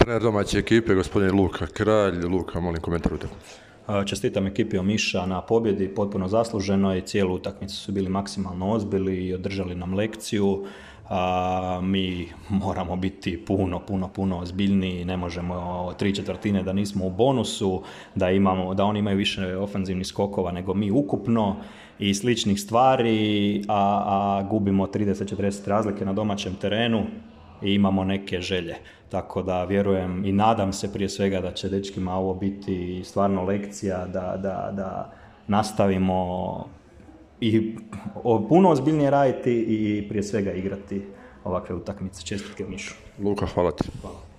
Trener domaće ekipe, gospodin Luka Kralj. Luka, molim komentar utakmice. Čestitam ekipi Omiša na pobjedi, potpuno zasluženo i cijelu utakmicu su bili maksimalno ozbiljni i održali nam lekciju. Mi moramo biti puno ozbiljniji, ne možemo 3/4 da nismo u bonusu, da oni imaju više ofanzivnih skokova nego mi ukupno i sličnih stvari, a gubimo 30-40 razlike na domaćem terenu i imamo neke želje. Tako da vjerujem i nadam se prije svega da će dečkima ovo biti stvarno lekcija da nastavimo i puno ozbiljnije raditi i prije svega igrati ovakve utakmice. Čestitke Mišu. Luka, hvala ti. Hvala.